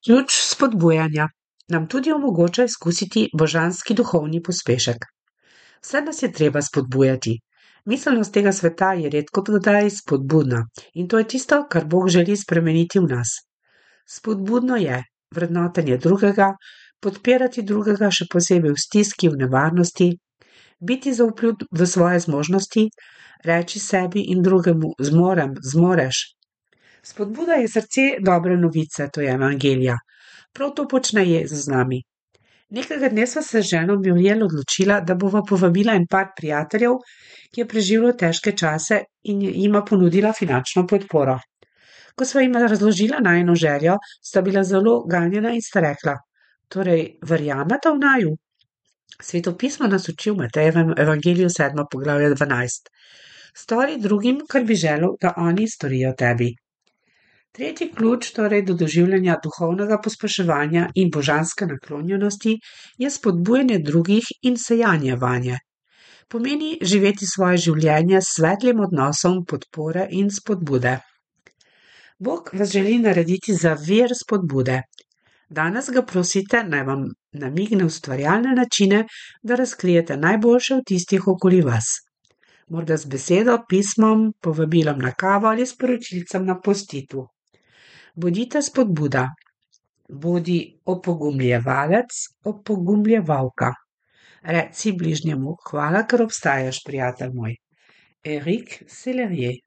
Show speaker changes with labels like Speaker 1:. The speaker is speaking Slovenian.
Speaker 1: Ključ spodbujanja nam tudi omogoča izkusiti božanski duhovni pospešek. Vse nas je treba spodbujati. Miselnost tega sveta je redko kdaj spodbudna in to je tisto, kar Bog želi spremeniti v nas. Spodbudno je vrednotenje drugega, podpirati drugega še posebej v stiski, v nevarnosti, biti zaupljiv v svoje zmožnosti, reči sebi in drugemu zmorem, zmoreš. Spodbuda je srce dobre novice, to je evangelija. Prav to počne Jezus z nami. Nekega dne sva se z ženo Muriel odločila, da bova povabila en par prijateljev, ki je preživelo težke čase in jima ponudila finančno podporo. Ko sva jima razložila najino željo, sta bila zelo ganjena in sta rekla: torej, verjamete v naju? Sveto pismo nas uči v Matejevem evangeliju 7. poglavje 12. Stori drugim, kar bi želel, da oni storijo tebi. Tretji ključ torej do doživljanja duhovnega pospeševanja in božanske naklonjenosti je spodbujanje drugih in sejanje vanje. Pomeni živeti svoje življenje s svetlim odnosom podpore in spodbude. Bog vas želi narediti za vir spodbude. Danes ga prosite, naj vam namigne ustvarjalne načine, da razkrijete najboljše v tistih okoli vas. Morda z besedo, pismom, povabilom na kavo ali sporočilcem na postitu. Bodite spodbuda. Bodi opogumljevalec, opogumljevalka. Reci bližnjemu: hvala, ker obstajaš, prijatelj moj. Eric Sellerier.